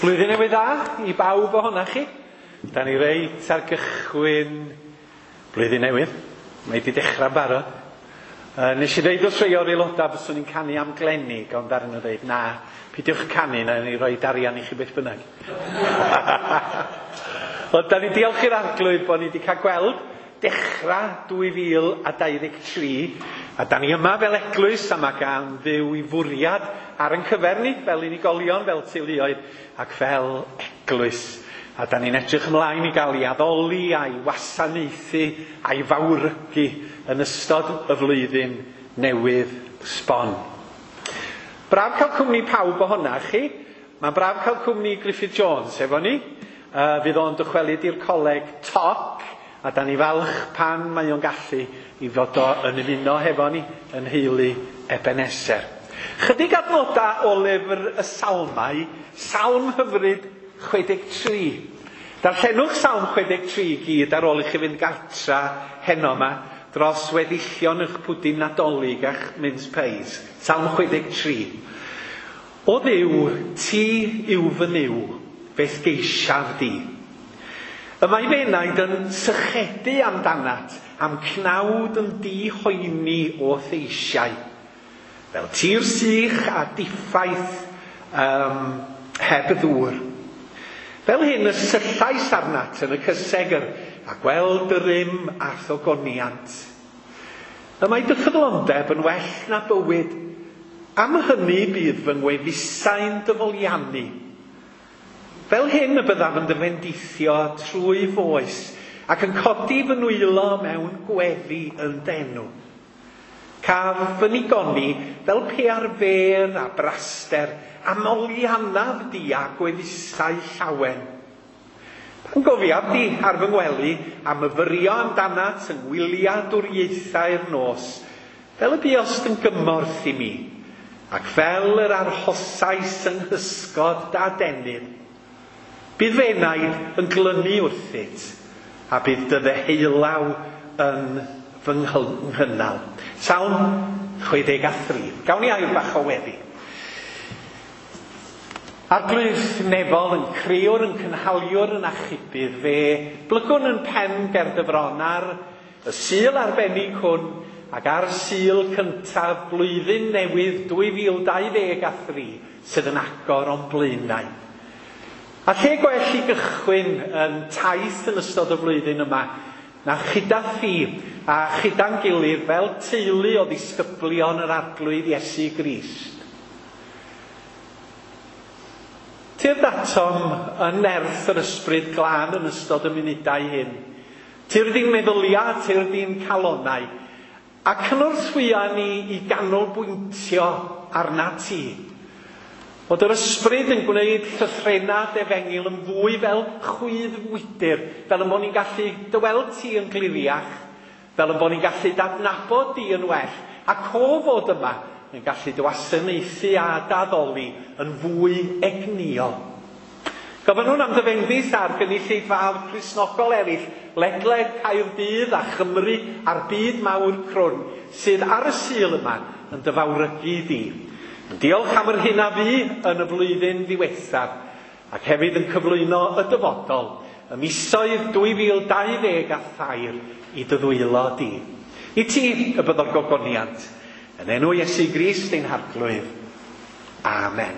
Blwyddyn newydd dda i bawb ohonoch chi. Da ni reit ar gychwyn blwyddyn newydd. Mae wedi dechrau'n barod. Nes i ddeud wrth rhai o'r aelodau fyswn i'n canu am glenig, ond ar nhw ddeud, na, peidiwch canu, na ni roi arian i chi beth bynnag. Ond da ni diolch i'r arglwydd bod ni wedi cael gweld dechrau 2023, a da ni yma fel eglwys a mae gan Dduw i fwriad ar ein cyfer ni, fel unigolion, fel teuluoedd, ac fel eglwys. A da ni'n edrych ymlaen i gael ei addoli a'i wasanaethu a'i fawrygu yn ystod y flwyddyn newydd sbon. Braf cael cwmni pawb ohona chi. Mae'n braf cael cwmni Griffith Jones efo ni. Fydd o'n dychwelyd i'r coleg toc, a da ni falch pan mae o'n gallu i fod o yn ymuno hefo ni yn heulu Ebenezer. Chydig adnodau o lyfr y Salmau, Salm hyfryd 63. Darllenwch Salm 63 i gyd ar ôl i chi fynd gartra heno yma dros weddillion eich pwdin Nadolig a'ch mince pies. Salm 63. O Dduw, ti yw fy Nuw, fe'th geisiaf di. Y mae fy enaid yn sychedu amdanat, am cnawd yn dihoeni o theisiau. Fel tir sych a diffaith heb ddŵr. Fel hyn y syllais arnat yn y cysegr, a gweld dy rym a'th ogoniant. Y mae dy ffyddlondeb yn well na bywyd. Am hynny bydd fy ngwefusau'n dyfoliannu. Fel hyn y byddaf yn dy fendithio trwy foes, ac yn codi fy nwylo mewn gweddi yn d'enw. Caf fy nigoni fel pe ar fer a braster, a moliannaf di a gwefusau llawen. Pan gofiaf di ar fy ngwely, a myfyrio amdanat yng ngwyliadwriaethau'r nos, fel y buost yn gymorth i mi, ac fel yr arhosais yng nghysgod dadenydd. Bydd fy enaid yn glynu wrthyt, a bydd dy ddeheulaw yn fy nghynnal. Salm 63. Gawn ni air bach o weddi. Arglwydd nefol yn crëwr, yn cynhaliwr, yn achubydd, fe blygwn yn pen ger dy fron ar y Sul arbennig hwn ac ar Sul cyntaf blwyddyn newydd 2023 sydd yn agor o'n blaenau. A lle gwell i gychwyn yn taith yn ystod y flwyddyn yma na chyda thi a chyda'n gilydd fel teulu o ddisgyblion yr Arglwydd Iesu Grist. Tyrd atom yn nerth yr ysbryd glân yn ystod y munudau hyn. Tyrd i'n meddyliau, tyrd i'n calonau, a cynorthwya ni i ganolbwyntio arna ti. Bod yr ysbryd yn gwneud llythrennau defengyl yn fwy fel chwydd wydr, fel y bod ni'n gallu dy weld ti yn gliriach, fel y bod ni'n gallu dadnabod di yn well, ac o fod yma yn gallu dy wasanaethu a daddoli yn fwy egnïol. Gofynnwn am dy fendith ar gynulleidfaoedd Cristnogol eraill ledled Caerdydd a Chymru a'r byd mawr crwn sydd ar y Sul yma yn dy fawrygu di. Diolch am yr hyn a fu yn y flwyddyn ddiwethaf, ac hefyd yn cyflwyno y dyfodol, y misoedd 2023 i dy ddwylo di. I ti y byddo'r gogoniant, yn enw Iesu Grist ein Harglwydd. Amen.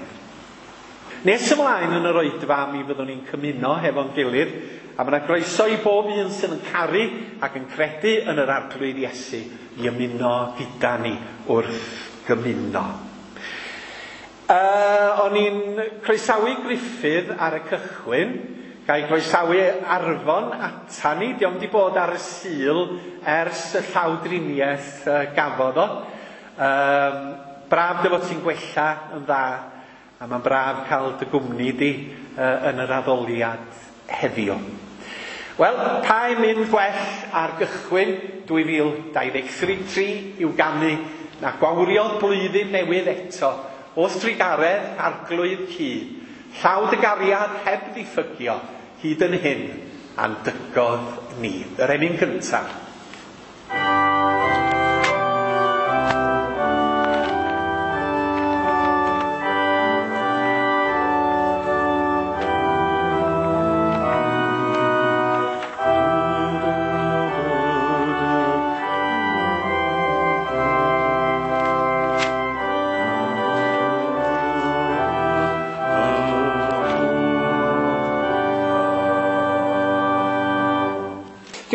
Nes ymlaen yn yr oedfa mi fyddwn ni'n cymuno hefo'n gilydd, a mae yna groeso i bob un sydd yn caru ac yn credu yn yr Arglwydd Iesu i ymuno gyda ni wrth gymuno. O'n i'n croesawu Griffith ar y cychwyn, gael croesawu Arfon ata ni, dio'm di bod ar y Sul ers y llawdriniaeth gafodd o. Braf dy fod ti'n gwella yn dda, a mae'n braf cael dy gwmni di yn yr addoliad heddiw. Wel, pa un mynd gwell ar gychwyn 2023 i'w ganu na gwawrio blwyddyn newydd eto, wrth drugaredd Arglwydd cu, llaw dy gariad heb ddiffygio, hyd yn hyn, a'n dygodd ni. Yr emyn cyntaf.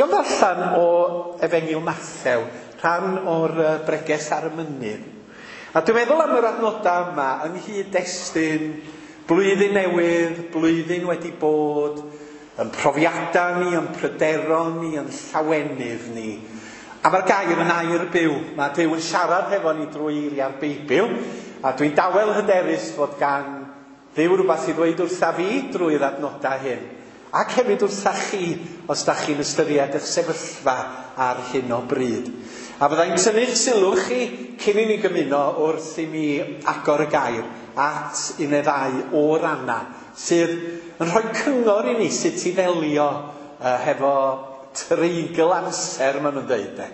Dwi am ddarllen o Efengyl Mathew, rhan o'r breges ar y mynydd. A dwi'n meddwl am yr adnodau yma yng nghyd-destun blwyddyn newydd, blwyddyn wedi bod, yn profiadau ni, yn pryderon ni, yn llawenydd ni. A mae'r gair yn air byw. Mae Duw yn siarad hefo ni drwy eiriau'r Beibl, a dwi'n dawel hyderus fod gan Dduw rhywbeth i ddweud wrtha fi drwy'r adnodau hyn. Ac hefyd wrtha chi, os da chi'n ystyried eich sefyllfa ar hyn o bryd. A fyddai'n tynnu'ch sylw chi cyn i ni gymuno wrth i mi agor y gair at un neu ddau o rannau sydd yn rhoi cyngor i ni sut i ddelio hefo treigl amser, maen nhw'n dweud, de.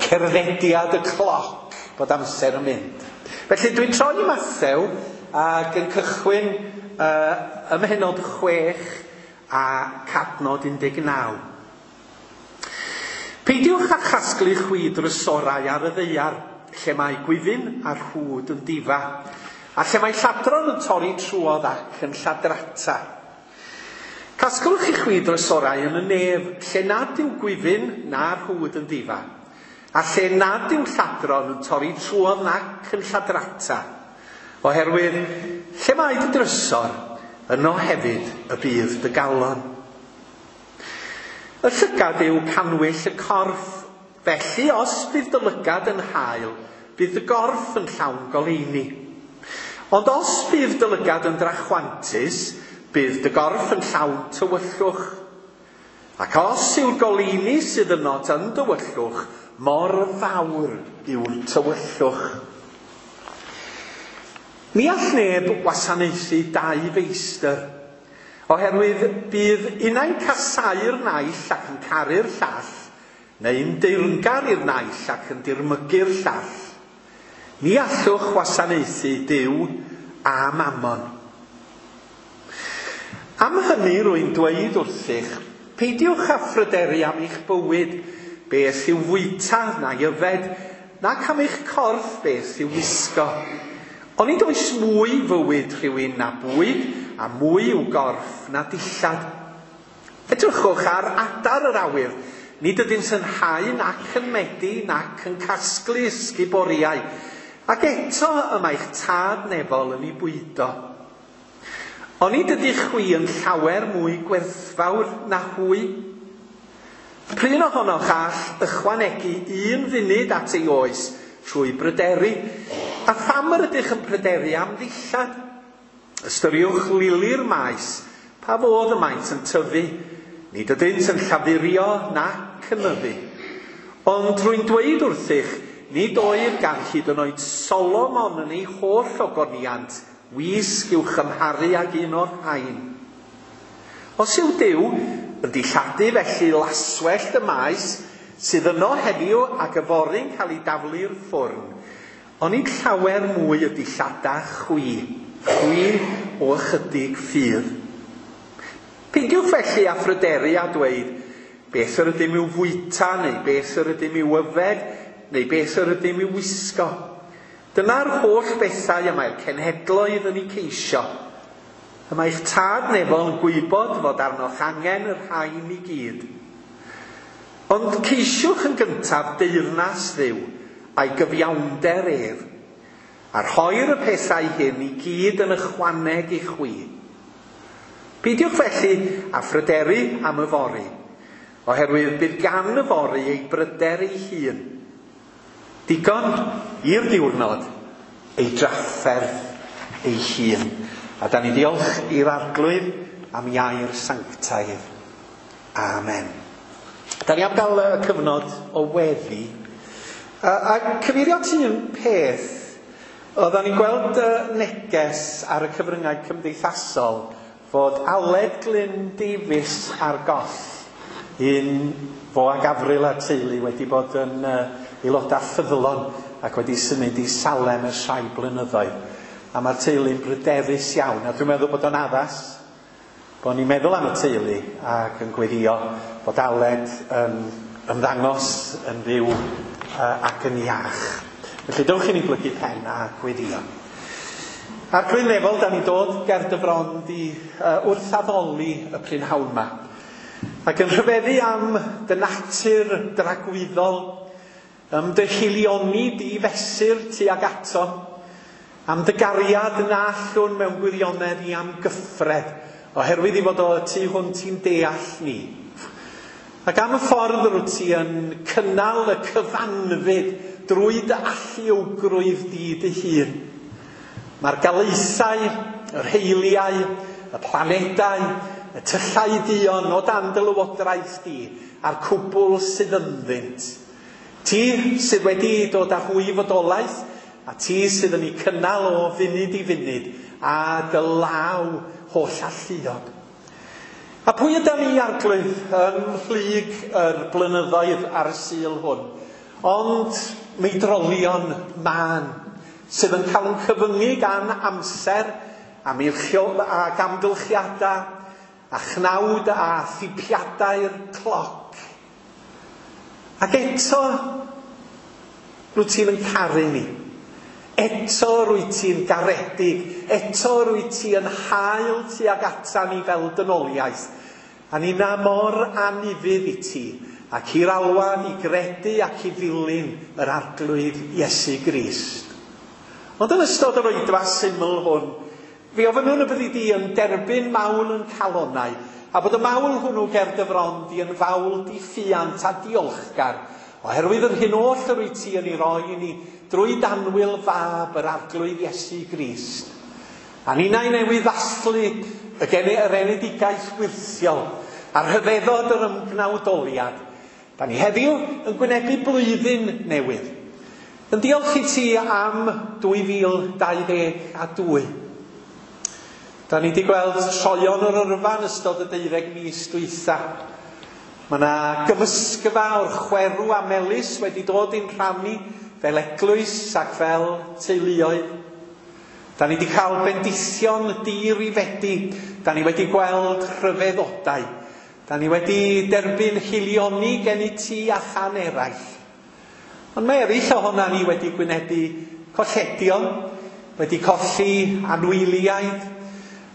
Cerddediad y cloc, bod amser yn mynd. Felly dwi'n troi i Mathew ac yn cychwyn ym mhennod 6 a cadnod 19. Peidiwch â chasglu chwi drysorau ar y ddaear, lle mae gwyfyn a rhwd yn difa, a lle mae lladron yn torri trwodd ac yn lladrata. Casglwch i chwi drysorau yn y nef, lle nad yw gwyfyn na rhwd yn difa, a lle nad yw lladron yn torri trwodd nac yn lladrata. Oherwydd, lle mae dy drysor, yno hefyd y bydd dy galon. Y llygad yw cannwyll y corff, felly os bydd dy lygad yn hael, bydd dy gorff yn llawn goleuni. Ond os bydd dy lygad yn drachwantus, bydd dy gorff yn llawn tywyllwch. Ac os yw'r goleuni sydd yno yn dywyllwch, mor fawr yw'r tywyllwch. Ni all neb wasanaethu dau feistr, oherwydd bydd unai'n casáu'r naill ac yn caru'r llall, neu'n deyrngar i'r naill ac yn dirmygu'r llall. Ni allwch wasanaethu Duw a Mammon. Am hynny rwy'n dweud wrthych, peidiwch â phryderu am eich bywyd, beth i'w fwyta na'i yfed, nac am eich corff beth i'w wisgo. Onid oes mwy fywyd rhywun na bwyd, a mwy i'w gorff na dillad. Edrychwch ar adar yr awyr, nid ydynt yn hau nac yn medi nac yn casglu ysguboriau, ac eto y mae'ch tad nefol yn ei bwydo. Onid ydych chwi yn llawer mwy gwerthfawr na hwy? Prin ohonoch all ychwanegu un funud at ei oes trwy bryderu, a pham yr ydych yn pryderu am ddillad? Ystyriwch lili'r maes, pa fodd y maent yn tyfu, nid ydynt yn llafurio nac yn nyddu. Ond rwy'n dweud wrthych, nid oedd gan hyd yn oed Solomon yn ei holl ogoniant wisg i'w chymharu ag un o'r rhain. Os yw Duw yn dilladu felly laswellt y maes sydd yno heddiw ac yfory'n cael ei daflu'r ffwrn, onid llawer mwy y dillada chwi, chwi o ychydig ffydd. Peidiwch felly â phryderu a dweud, beth yr ydym i'w fwyta, neu beth yr ydym i'w yfed, neu beth yr ydym i'w wisgo. Dyna'r holl bethau y mae'r cenhedloedd yn eu ceisio. Y mae eich tad nefol yn gwybod fod arnoch angen y rhain i gyd. Ond ceisiwch yn gyntaf deyrnas Dduw a'i gyfiawnder ef, a rhoir y pethau hyn i gyd yn ychwaneg i chwi. Peidiwch felly â phryderu am yfory, oherwydd bydd gan yfory ei bryder ei hun. Digon i'r diwrnod ei drafferth ei hun. A da ni diolch i'r Arglwydd am iair sanctaidd. Amen. Da ni am gael y cyfnod o weddi. A cyfeirio at un peth, oedden ni'n gweld neges ar y cyfryngau cymdeithasol fod Aled Glyn Davies ar goll, un fo ag Avril a'r teulu wedi bod yn aelodau ffyddlon ac wedi symud i Salem ers rhai blynyddoedd. A mae'r teulu'n bryderus iawn, a dwi'n meddwl bod o'n addas bod ni'n meddwl am y teulu ac yn gweddio bod Aled yn ymddangos yn fyw ac yn iach. Felly dewch i ni blygu pen a gweddio. Arglwydd nefol, da ni dod ger dy fron di wrth addoli y prynhawn yma. Ac yn rhyfeddu am dy natur dragwyddol, am dy hilioni di fesur tuag ato, am dy gariad na allwn mewn gwirionedd i amgyffred, oherwydd i fod o tu hwnt i'n deall ni. Ac am y ffordd rwyt ti yn cynnal y cyfanfyd drwy dy alluogrwydd di dy hun. Mae'r galaethau, yr heiliau, y planedau, y tyllau duon o dan dy lywodraeth di, a'r cwbl sydd ynddynt. Ti sydd wedi dod â hwy i fodolaeth, a ti sydd yn eu cynnal o funud i funud, a dy law holl alluog. A pwy ydan ni, Arglwydd, ym mhlyg yr blynyddoedd ar y Sul hwn? Ond meidrolion mân, sydd yn cael yn cyfyngu gan amser a ac amgylchiadau, a chnawd a thipiadau'r cloc. Ac eto, rwyt ti'n yn caru ni. Eto rwyt ti'n garedig, eto rwyt ti yn hael tuag ata ni fel dynoliaeth. A ni na mor anufudd i ti, ac i'r alwad i gredu ac i ddilyn yr Arglwydd Iesu Grist. Ond yn ystod yr oedfa syml hwn, fe ofynnwn y byddi di yn derbyn mawl yn calonnau, a bod y mawl hwnnw ger dy fron di yn fawl diffuant a diolchgar, oherwydd yr hyn oll yr wyt ti yn ei roi i ni drwy d'annwyl fab yr Arglwydd Iesu Grist. A ninnau newydd ddathlu y yr enedigaeth wyrthiol a rhyfeddod yr ymgnawdoliad. Da ni heddiw yn gwynebu blwyddyn newydd. Yn diolch i ti am 2022. Da ni wedi gweld troion yr yrfa yn ystod y 12 mis dwytha. Mae yna gymysgfa o'r chwerw a melys wedi dod i'n rhannu fel eglwys ac fel teuluoedd. Da ni wedi cael bendithion dirifedi. Da ni wedi gweld rhyfeddodau. Da ni wedi derbyn hilioni gen i ti a chan eraill. Ond mae eraill ohona ni wedi gwynebu colledion, wedi colli anwyliaid,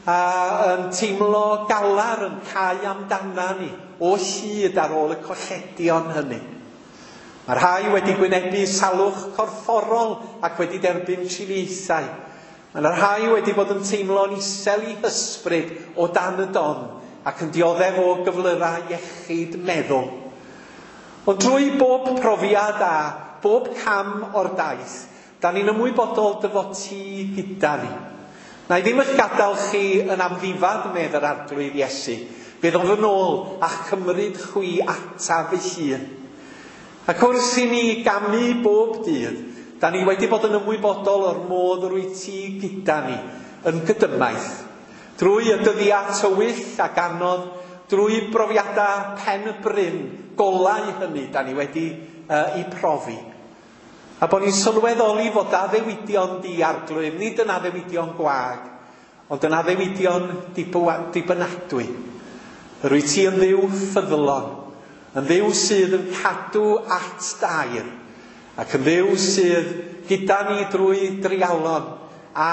a yn teimlo galar yn cau amdana ni o hyd ar ôl y colledion hynny. Mae rhai wedi gwynebu salwch corfforol ac wedi derbyn triniaethau. Mae yna rhai wedi bod yn teimlo'n isel i hysbryd o dan y don ac yn dioddef o gyflyrau iechyd meddwl. Ond drwy bob profiad a bob cam o'r daith, da ni'n ymwybodol dy fod ti gyda ni. Na i ddim eich gadael chi yn amddifad, medd yr Arglwydd Iesu. Fe ddof yn ôl a chymryd chwi ata fy hun. Ac wrth i ni gamu bob dydd, da ni wedi bod yn ymwybodol o'r modd yr wyt ti gyda ni, yn gydymaith. Drwy y dyddiau tywyll ac anodd, drwy brofiadau pen y bryn, golau hynny da ni wedi i profi. A bod ni'n sylweddoli fod addewidion di Arglwydd, nid yn addewidion gwag, ond yn addewidion dibynadwy. Yr wyt ti yn Dduw ffyddlon, yn Dduw sydd yn cadw at dair, ac yn Dduw sydd gyda ni drwy dreialon a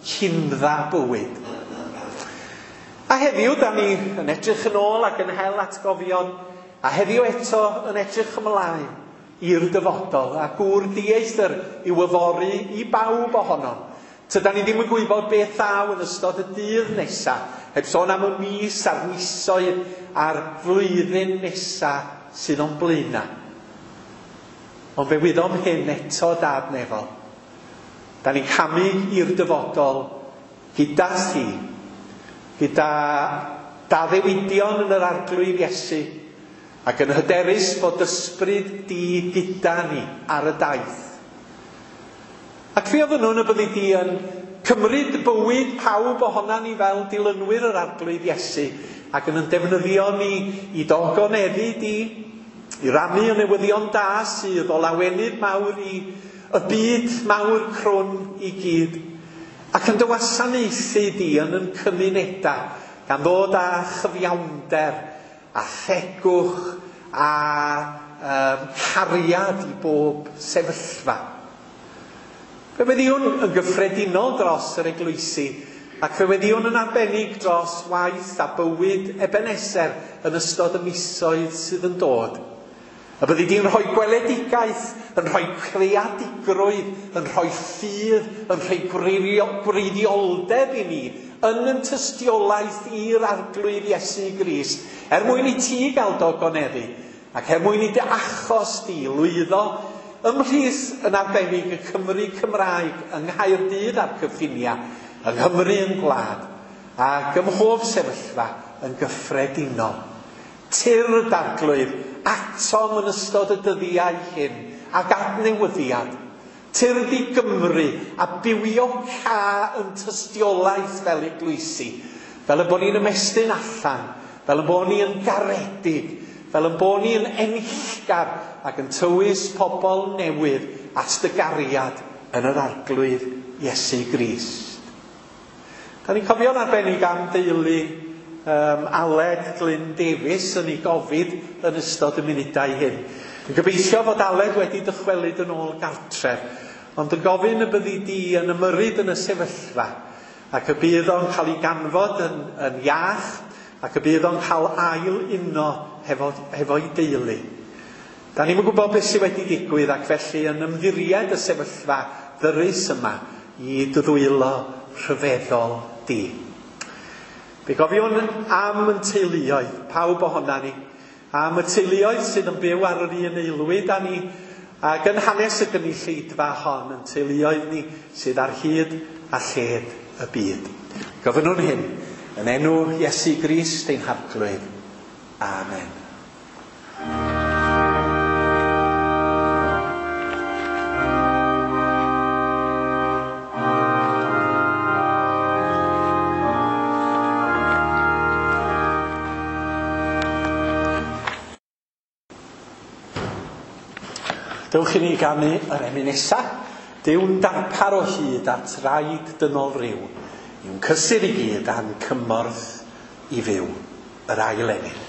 hindda bywyd. A heddiw, da ni yn edrych yn ôl ac yn hel atgofion, a heddiw eto yn edrych ymlaen i'r dyfodol, a gŵr dieithr i'w yfory i bawb ohonom. Tydan ni ddim yn gwybod beth ddaw yn ystod y dydd nesa, heb sôn am y mis a'r misoedd a'r flwyddyn nesa sydd o'n blaenau. Ond fe wyddom hyn eto, Dad nefol. Da ni'n camu i'r dyfodol gyda thi, gyda d'addewidion yn yr Arglwydd Iesu, ac yn hyderus fod ysbryd di gyda ni ar y daith. Ac fe ofynnwn y byddi di yn cymryd bywyd pawb ohona ni fel dilynwyr yr Arglwydd Iesu, ac yn defnyddio ni i dogoneddu di, i rannu y newyddion da sydd o lawenydd mawr i y byd mawr crwn i gyd, ac yn dy wasanaethu di yn yn cymunedau, gan ddod â chyfiawnder a thegwch a cariad i bob sefyllfa. Fe weddïwn yn gyffredinol dros yr eglwysi Ac fe weddïwn yn arbennig dros waith a bywyd Ebeneser yn ystod y misoedd sydd yn dod. Y byddi di'n rhoi gweledigaeth, yn rhoi creadigrwydd, yn rhoi ffydd, yn rhoi gwreiddioldeb i ni, yn yn tystiolaeth i'r Arglwydd Iesu Grist, er mwyn i ti gael dy ogoneddu, ac er mwyn i dy achos di lwyddo ymhlith yn arbennig y Cymry Cymraeg yng Nghaerdydd a'r cyffiniau, yng Nghymru yn gwlad, ac ym mhob sefyllfa yn gyffredinol. Tyrd, Arglwydd, atom yn ystod y dyddiau hyn, ac adnewyddiad. Tyrd i Gymru a bywio ca yn tystiolaeth fel eglwysi, fel y bod ni'n ymestyn allan, fel y bod ni yn garedig, fel y bod ni yn enillgar ac yn tywys pobl newydd at dy gariad yn yr Arglwydd Iesu Grist. Da ni'n cofio'n arbennig am deulu Aled Glyn Davies yn ei gofid yn ystod y munudau hyn. Yn gobeithio fod Aled wedi dychwelyd yn ôl gartref, ond yn gofyn y byddi di yn ymyrryd yn y sefyllfa, ac y bydd o'n cael ei ganfod yn iach, ac y bydd o'n cael ail uno hefo'i deulu. Da ni'm yn gwybod beth sydd wedi digwydd, ac felly yn ymddiried y sefyllfa ddyrus yma i dy ddwylo rhyfeddol di. Fe gofiwn am yn teuluoedd, pawb ohona ni, am y teuluoedd sydd yn byw ar yr un aelwyd â ni, ac yn hanes y gynulleidfa hon, yn teuluoedd ni sydd ar hyd a lled y byd. Gofynnwn hyn yn enw Iesu Grist ein Harglwydd. Amen. Dewch i ni ganu yr emyn nesa. Duw'n darpar o hyd at raid dynol ryw, yw'n cysur i gyd a'n cymorth i fyw. Yr ail emyn.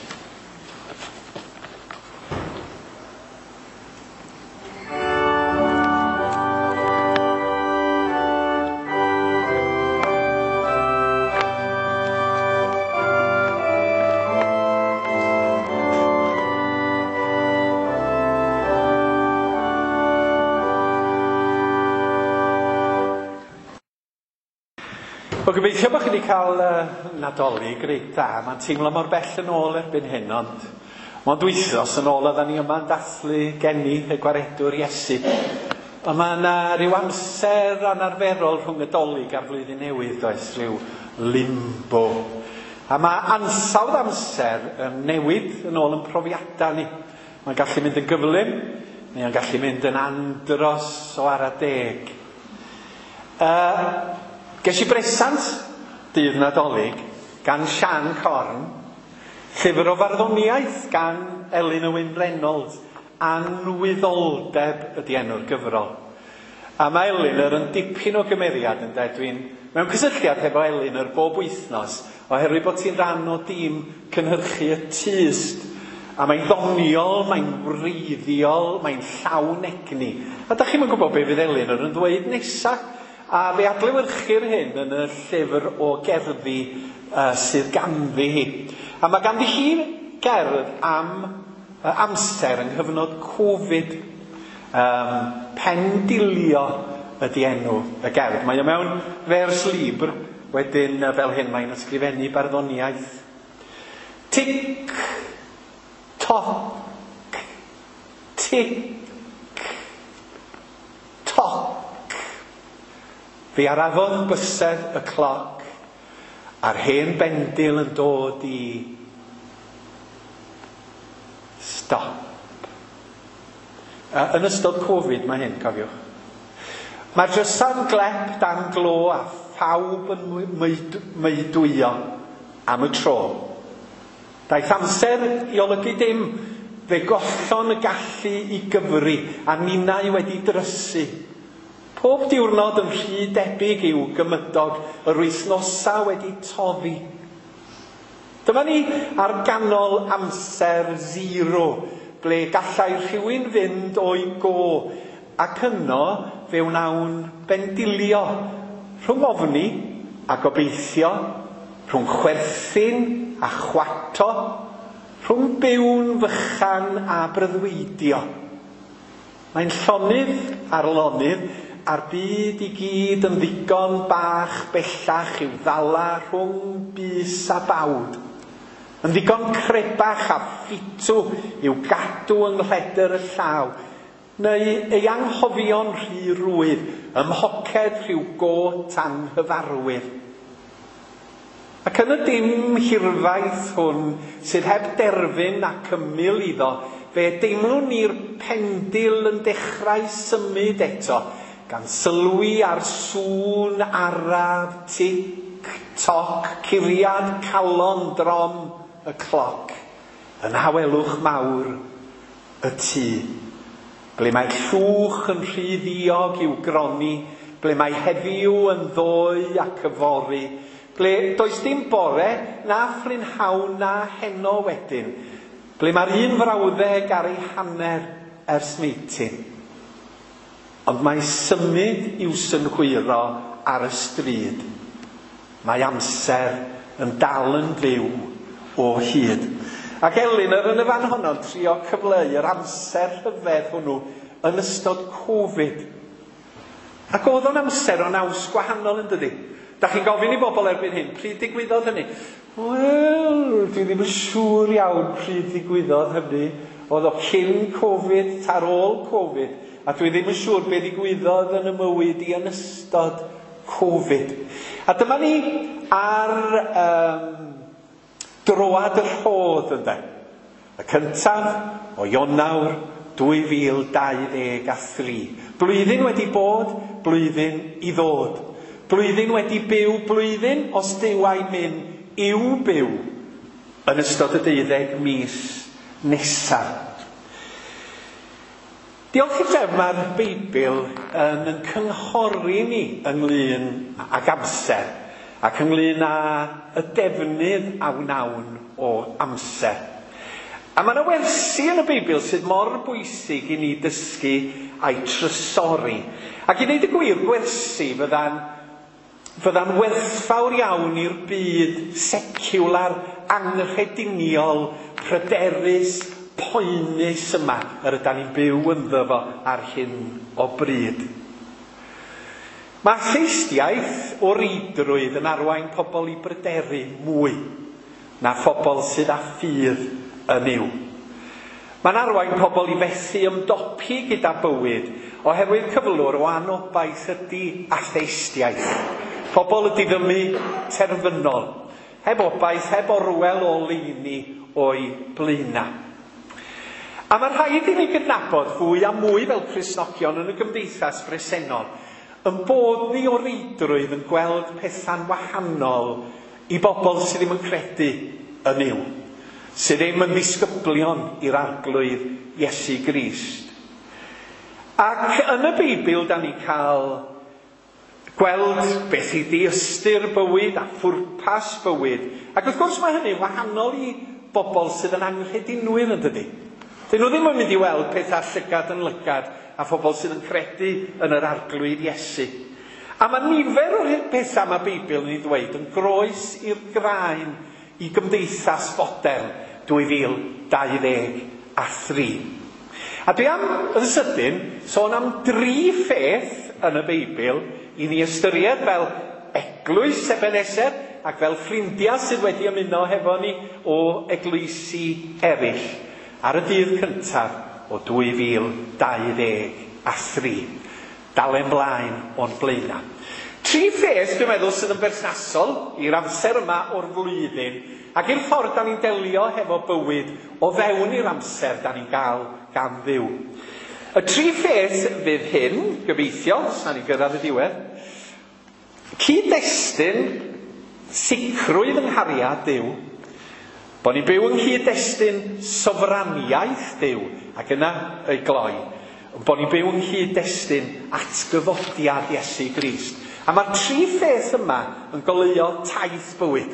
Wel, gobeithio bod chi wedi cael Nadolig reit dda. Mae'n teimlo mor bell yn ôl erbyn hyn, ond mond wythnos yn ôl oedden ni yma'n dathlu geni y Gwaredwr Iesu. Ond mae yna rhyw amser anarferol rhwng y Dolig a'r Flwyddyn Newydd, does, rhyw limbo. A mae ansawdd amser yn newid yn ôl yn profiadau ni. Mae'n gallu mynd yn gyflym, neu'n gallu mynd yn andros o ara deg. Ges i bresant dydd Nadolig gan Sian Corn, llyfr o farddoniaeth gan Elin Owen Reynolds, Anwyddoldeb ydy enw'r gyfrol. A mae Elinor yn dipyn o gymeriad, ynde? Dwi'n mewn cysylltiad hefo Elinor bob wythnos, oherwydd bod ti'n rhan o dîm cynhyrchu y Tyst. A mae'n ddoniol, mae'n wreiddiol, mae'n llawn egni. A da chi'm yn gwybod be fydd Elinor yn ddweud nesa. A fe adlewyrchir hyn yn y llyfr o gerddi sydd ganddi hi. A mae ganddi hi gerdd am amser yng nghyfnod Covid. Pendilio ydy enw y gerdd. Mae o mewn vers libre, wedyn fel hyn mae'n ysgrifennu barddoniaeth. Tic, toc, tic, toc. Fe arafodd bysedd y cloc a'r hen bendil yn dod i stop. Yn ystod Covid mae hyn, cofiwch. Mae'r drysa'n glep dan glo a phawb yn meudwyo am y tro. Daeth amser i olygu dim, fe gollon y gallu i gyfri a ninnau wedi drysu. Pob diwrnod yn rhy debyg i'w gymydog, yr wythnosa wedi toddi. Dyma ni ar ganol amser zero, ble gallai rhywun fynd o'i go, ac yno fe wnawn bendilio rhwng ofni a gobeithio, rhwng chwerthin a chwato, rhwng byw'n fychan a breuddwydio. Mae'n llonydd ar lonydd, a'r byd i gyd yn ddigon bach bellach i'w ddala rhwng bys a bawd. Yn ddigon crebach a ffitw i'w gadw yng nghledr y llaw, neu ei anghofio'n rhy rwydd ym mhoced rhyw got anghyfarwydd. Ac yn y dim hirfaith hwn sydd heb derfyn ac ymyl iddo, fe deimlwn ni'r pendil yn dechrau symud eto, gan sylwi ar sŵn araf tic toc curiad calon drom y cloc yn hawelwch mawr y tŷ. Ble mae llwch yn rhy ddiog i'w gronni, ble mae heddiw yn ddoe ac yfory, ble does dim bore na phrynhawn na heno wedyn, ble mae'r un frawddeg ar ei hanner ers meitin. Ond mae symud i'w synhwyro ar y stryd. Mae amser yn dal yn fyw o hyd. Ac Elinor yn y fan honno'n trio cyfleu yr amser rhyfedd hwnnw yn ystod Covid. Ac oedd o'n amser o naws gwahanol yn dydi? Da chi'n gofyn i bobl erbyn hyn, pryd digwyddodd hynny? Wel, dwi ddim yn siŵr iawn pryd ddigwyddodd hynny. Oedd o cyn Covid, ta'r ôl Covid. A dwi ddim yn siŵr be ddigwyddodd yn y mywyd i yn ystod Covid. A dyma ni ar droad y rhodd, ynde. Y cyntaf o Ionawr 2023. Blwyddyn wedi bod, blwyddyn i ddod. Blwyddyn wedi byw, blwyddyn os Duw a'i myn i'w byw yn ystod y 12 mis nesaf. Diolch i'r drefn, mae'r Beibl yn cynghori ni ynglyn ag amser ac ynglyn â y defnydd a wnawn o amser. A mae yna wersi yn y Beibl sydd mor bwysig i ni dysgu a'i trysori. Ac i ddeud y gwir, gwersi fydda'n werthfawr iawn i'r byd seciwlar, anghrediniol, pryderus, poenus yma yr ydan ni'n byw ynddo fo ar hyn o bryd. Mae atheistiaeth o reidrwydd yn arwain pobl i bryderu mwy na phobl sydd â ffydd yn yw. Mae'n arwain pobl i fethu ymdopi gyda bywyd oherwydd cyflwr o anobaith ydy atheistiaeth. Pobl y diddymu terfynol, heb obaith, heb orwel o leini o'i blaenau. A mae rhaid i ni gydnabod fwy a mwy fel Cristnogion yn y gymdeithas bresennol, yn bod ni o reidrwydd yn gweld pethau'n wahanol i bobl sydd ddim yn credu yn Nuw, sydd ddim yn ddisgyblion i'r Arglwydd Iesu Grist. Ac yn y Beibl, da ni cael gweld beth ydi ystyr bywyd a phwrpas bywyd. Ac wrth gwrs mae hynny'n wahanol i bobl sydd yn anghredinwyr, yn dydi? Dyn nhw ddim yn mynd i weld pethau llygad yn lygad a phobl sydd yn credu yn yr Arglwydd Iesu. A mae nifer o'r pethau mae Beibl yn ei ddweud yn groes i'r graen i gymdeithas fodern 2023. A dwi am yn sydyn sôn am dri pheth yn y Beibl i ni ystyried fel eglwys Ebeneser ac fel ffrindiau sydd wedi ymuno hefo ni o eglwysi eraill ar y dydd cyntaf o 2023. Dalen blaen o'n blaenau. Tri pheth, dwi'n meddwl, sydd yn berthnasol i'r amser yma o'r flwyddyn ac i'r ffordd da ni'n delio hefo bywyd o fewn i'r amser da ni'n gael gan Dduw. Y tri pheth fydd hyn, gobeithio, os na ni'n gyrraedd y diwedd. Cyd-destun, sicrwydd yng nghariad Duw, bod ni'n byw yng nghyd-destun sofraniaeth Duw, ac yna ei gloi, bod ni'n byw yng nghyd-destun atgyfodiad Iesu Grist. A mae'r tri pheth yma yn goleuo taith bywyd.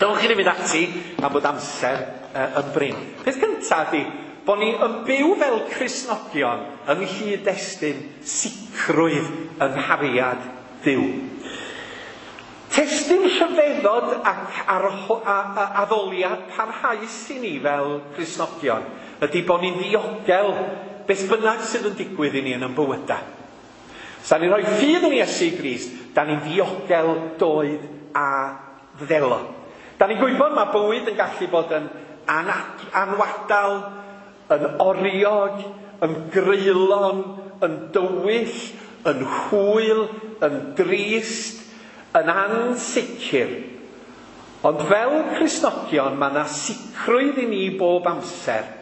Dylwch chi ddim mynd ati am bod amser yn brin. Peth cyntaf ydy bod ni yn byw fel Cristnogion yng nghyd-destun sicrwydd yng nghariad Duw. Testun rhyfeddod ac addoliad parhaus i ni fel Cristnogion ydy bod ni'n ddiogel beth bynnag sydd yn digwydd i ni yn ein bywydau. Os da ni'n rhoi ffydd yn Iesu Grist, da ni'n ddiogel doed a ddelo. Da ni'n gwybod mae bywyd yn gallu bod yn anwadal, yn oriog, yn greulon, yn dywyll, yn hwyl, yn drist, yn ansicr. Ond fel Cristnogion, mae yna sicrwydd i ni bob amser.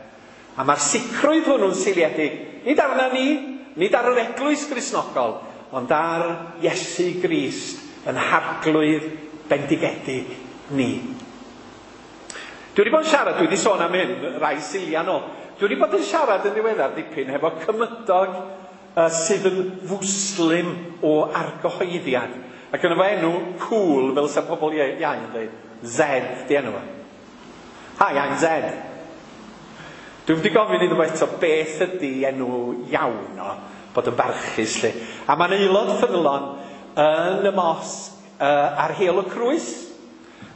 A mae'r sicrwydd hwnnw'n seiliedig nid arna ni, nid ar yr eglwys Gristnogol, ond ar Iesu Grist yn harglwydd bendigedig ni. Dwi wedi bod yn siarad, dwi wedi sôn am hyn rai siliau nôl. Dwi wedi bod yn siarad yn ddiweddar dipyn hefo cymydog sydd yn Fwslim o argyhoeddiad. Ac yn efo enw cool, fel sa pobl iau yn dweud, Zed di enw fo. Hi, I'm Zed. Dwi'n wedi gofyn iddo fo eto beth ydy enw iawn o, bod yn barchus lle. A mae'n aelod ffyddlon yn y mosg ar Heol y Crwys.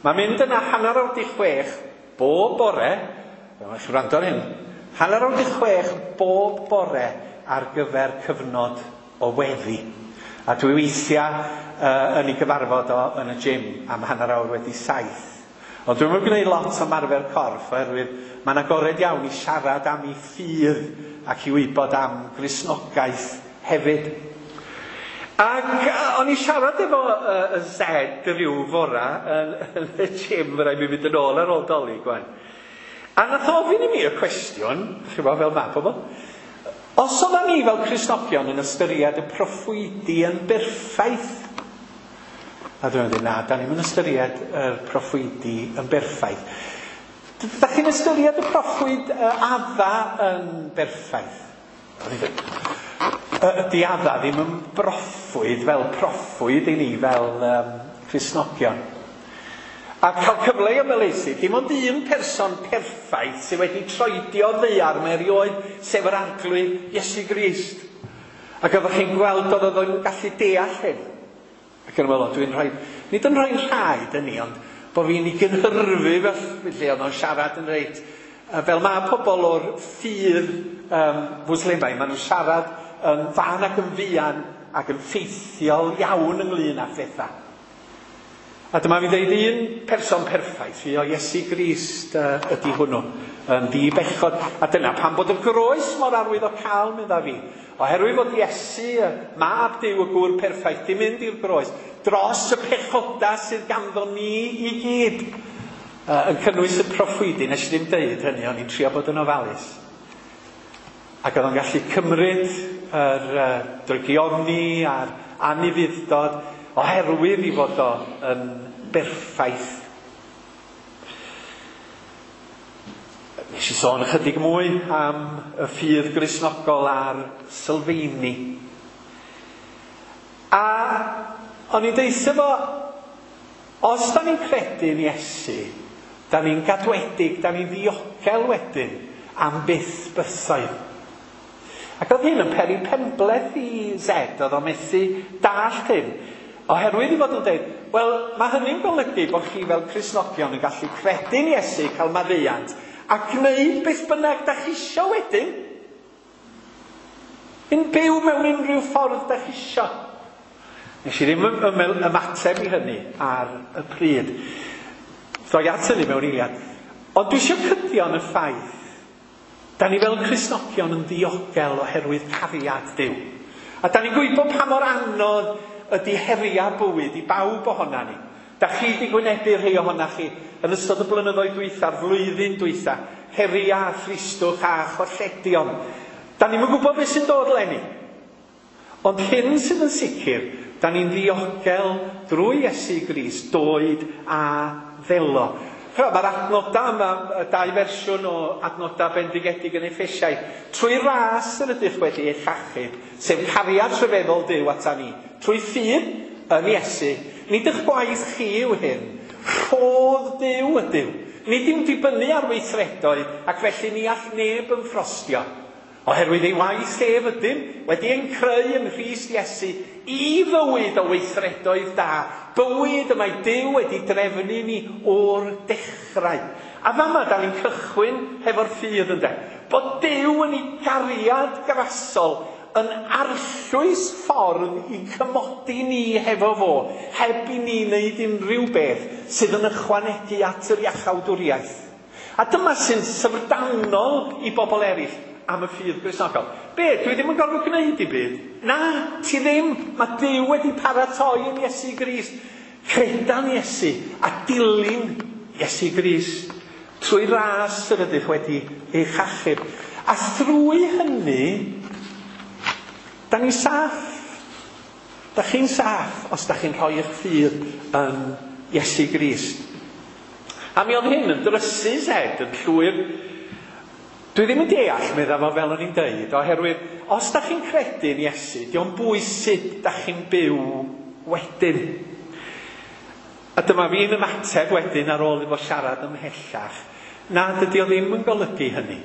Mae'n mynd yna 6:30 bob bore, mae'n chi wrando ar hyn, 6:30 bob bore ar gyfer cyfnod o weddi. A dwi weithiau yn ei gyfarfod o yn y gym am 7:15. Ond dwi'm yn gwneud lot o ymarfer corff oherwydd mae'n agored iawn i siarad am ei ffydd ac i wybod am Gristnogaeth hefyd. Ac o'n i siarad efo y Zed rhyw fora yn y gym, rhaid mi fynd yn ôl ar ôl Dolig gwan. A nath o ofyn i mi y cwestiwn, chi'n gwybod fel ma pobl, os oeddan ni fel Cristnogion yn ystyried y proffwydi yn berffaith? A dwi'n meddwl, na, da ni'm yn ystyried yr proffwydi yn berffaith. Da chi'n ystyried y proffwyd Adda yn berffaith? Ydy Adda ddim yn broffwyd fel proffwyd i ni fel Cristnogion. A cael cyfle i ymhelaethu, dim ond un person perffaith sydd wedi troedio ddaear mae erioed, sef yr Arglwydd Iesu Grist. Ac oeddech chi'n gweld oedd o'n gallu deall hyn. Ac yn meddwl, dwi'n rhoi, nid yn rhoi rhaid yn ni, ond bod fi'n ei gynhyrfu felly oedd o'n siarad yn reit. Fel mae pobl o'r ffydd Fwslimaidd, maen nhw'n siarad yn fan ac yn fuan ac yn ffeithiol iawn ynglyn â phethau. A dyma fi'n dweud un person perffaith, fi o Iesu Grist ydy hwnnw, yn ddi-bechod. A dyna pam bod y groes mor arwydd o cael, medda fi. Oherwydd bod Iesu, mab Duw, y gŵr perffaith, di mynd i'r groes dros y pechodau sydd ganddo ni i gyd. Yn cynnwys y proffwydi, nes i ddim deud hynny, o'n i'n trio bod yn ofalus. Ac oedd o'n gallu cymryd yr drygioni a'r anufudd-dod oherwydd i fod o yn berffaith. Nes i sôn ychydig mwy am y ffydd Gristnogol a'r sylfeini. A o'n i'n deutha fo, os da ni'n credu yn Iesu, da ni'n gadwedig, da ni'n ddiogel wedyn am byth bythoedd. Ac oedd hyn yn peri penbleth i Zed, oedd o'n methu dallt hyn. Oherwydd i fod yn dweud, wel, mae hynny'n golygu bod chi fel Cristnogion yn gallu credu'n Iesu, cael maddeuant, a gwneud beth bynnag da chi isio wedyn. Yn byw mewn unrhyw ffordd da chi isio. Nes i ddim ymateb i hynny ar y pryd. Ddoi at hynny mewn eiliad. Ond dwi eisiau cydio yn y ffaith. Da ni fel Cristnogion yn ddiogel oherwydd cariad Duw. A da ni'n gwybod pa mor anodd ydy heriau bywyd i bawb ohona ni. Da chi wedi gwynebu rhai ohona chi yn ystod y blynyddoedd dwytha'r flwyddyn dwytha, heriau a thristwch a cholledion. Da ni'm yn gwybod beth sy'n dod leni. Ond hyn sydd yn sicr, da ni'n ddiogel drwy Iesu Grist, doed a ddelo. Mae'r adnodau yma, y dau fersiwn o adnodau bendigedig yn Effesiaid, trwy ras yr ydych wedi eich achub, sef cariad rhyfeddol Duw ata ni, trwy ffydd yn Iesu. Nid eich gwaith chi yw hyn, rhodd Duw ydyw. Nid yw'n dibynnu ar weithredoedd, ac felly ni all neb ymffrostio. Oherwydd ei waith ef ydym wedi ein creu yng Nghrist Iesu i fywyd o weithredoedd da, bywyd y mae Duw wedi drefnu ni o'r dechrau. A fama da ni'n cychwyn hefo'r ffydd, ynde? Bod Duw yn ei gariad grasol yn arllwys ffordd i cymodi ni hefo fo, heb i ni wneud unrhyw beth sydd yn ychwanegu at yr iachawdwriaeth. A dyma sy'n syfrdanol i bobl eraill am y ffydd Gristnogol. Be, dwi ddim yn gorfod gwneud i byd? Na, ti ddim. Mae Duw wedi paratoi yn Iesu Grist. Credan Iesu a dilyn Iesu Grist trwy ras yr ydych wedi eich achub. A thrwy hynny, da ni'n saff. Da chi'n saff os da chi'n rhoi eich ffydd yn Iesu Grist. A mi oedd hyn yn drysu Zed yn llwyr. Dwi ddim yn deall, medda fo fel o'n i'n deud, oherwydd os da chi'n credu yn Iesu, dio'n bwys sut da chi'n byw wedyn. A dyma fi'n ymateb wedyn ar ôl iddo siarad ymhellach, na, dydy o ddim yn golygu hynny.